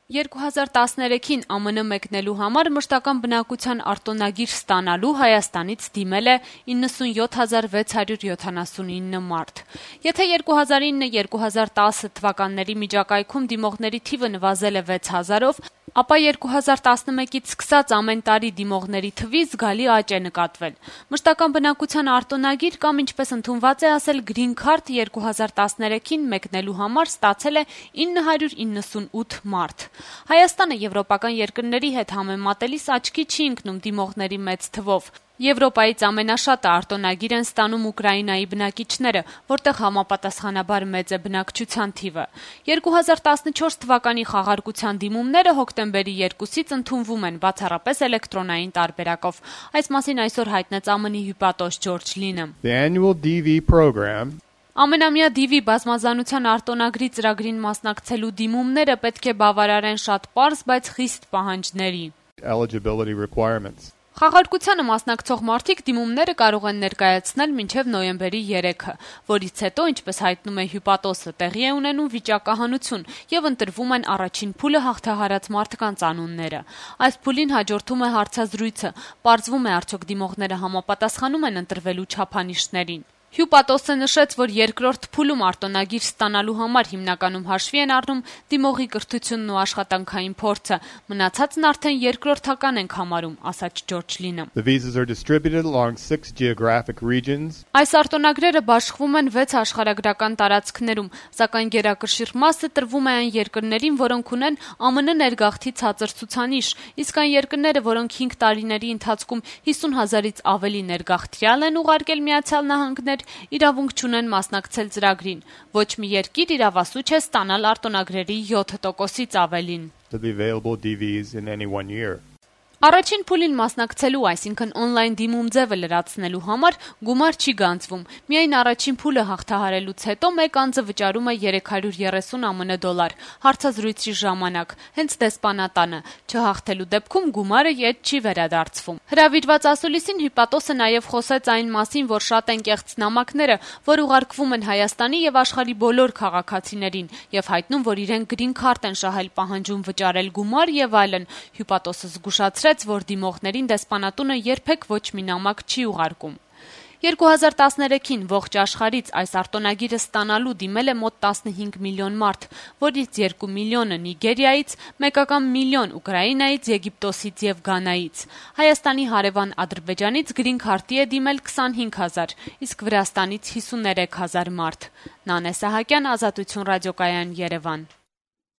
2013-ին ԱՄՆ մեկնելու համար մշտական բնակության արտոնագիր ստանալու Հայաստանից դիմել է 97,679 մարդ։ Եթե 2009-2010 թվականների միջակայքում դիմողների թիվը նվազել է 6000-ով, ապա 2011-ից սկսած ամեն տարի դիմողների թվի զգալի աճ է նկատվել։ Մշտական բնակության արտոնագիր կամ ինչպես ընդունված է ասել Green Card 2013-ին մեկնելու համար ստացել է 998 մարդ։ Հայաստանը եվրոպական երկրների հետ համեմատելիս աչքի չի ընկնում դիմողների մեծ թվով։ Եվրոպայից ամենաշատը արտոնագիր են ստանում Ուկրաինայի բնակիչները, որտեղ համապատասխանաբար մեծ է բնակչության թիվը։ 2014 թվականի խաղարկության դիմումները հոկտեմբերի 2-ից ընդունվում են բացառապես էլեկտրոնային տարբերակով։ Այս մասին այսօր հայտնեց ԱՄՆ-ի հյուպատոս Ջորջ Լինը։ Ամենամյա DV բազմազանության արտոնագրի ծրագրին մասնակցելու դիմումները պետք է բավարարեն շատ պարզ, բայց խիստ պահանջների։ Խաղարկությանը մասնակցող մարդիկ դիմումները կարող են ներկայացնել մինչև նոյեմբերի 3-ը, որից հետո, ինչպես հայտնում է հյուպատոսը, տեղի է ունենում վիճակահանություն եւ ընտրվում են առաջին փուլը հաղթահարած մարդկանց անունները։ Այս փուլին հաջորդում է հարցազրույցը, պարզվում է արդյոք դիմողները համապատասխանում են ընտրվելու չափանիշներին։ Հյուպատոսը նշեց, որ երկրորդ փուլում արտոնագիր ստանալու համար հիմնականում հաշվի են առնում դիմողի կրթությունն ու աշխատանքային փորձը, մնացածն արդեն երկրորդական ենք համարում, ասաց Ջորջ Լինը։ Այս արտոնագրերը բաշխվում են 6 աշխարհագրական տարածքներում, սակայն գերակշիռ մասը տրվում է այն երկրներին, որոնք ունեն ԱՄՆ ներգաղթի ցածր ցուցանիշ, իսկ այն երկրները, որոնք 5 տարիների ընթացքում 50,000-ից ավելի ներգաղթյալ են ուղարկել Միացյալ Նահանգներ, իրավունք չունեն մասնակցել ծրագրին։ Ոչ մի երկիր իրավասու չէ ստանալ արտոնագրերի 7%-ից ավելին։ Առաջին փուլին մասնակցելու, այսինքն օնլայն դիմում ձևը լրացնելու համար գումար չի գանձվում։ Միայն առաջին փուլը հաղթահարելուց հետո մեկ անձը վճարում է $330 ԱՄՆ հարցազրույցի ժամանակ, հենց դեսպանատանը։ Չհաղթելու դեպքում գումարը ետ չի վերադարձվում։ Հրավիրված ասուլիսին հյուպատոսը նաև խոսեց այն մասին, որ շատ են կեղծ նամակները, որ ուղարկվում են Հայաստանի եւ աշխարհի բոլոր քաղաքացիներին եւ հայտնում, որ իրենք Green Card են շահել, պահանջում վճարել գումար եւ այլն։ Հյուպատոսը զգուշացրեց, որ դիմողներին դեսպանատունը երբեք ոչ մի նամակ չի ուղարկում։ 2013-ին ողջ աշխարհից այս արտոնագիրը ստանալու դիմել է մոտ 15 միլիոն մարդ, որից 2 միլիոնը Նիգերիայից, 1 միլիոն Ուկրաինայից, Եգիպտոսից եւ Գանայից։ Հայաստանի հարևան Ադրբեջանից Green Card-ի է դիմել 25,000, իսկ Վրաստանից 53,000 մարդ։ Նանե Սահակյան, Ազատություն ռադիոկայան, Երևան։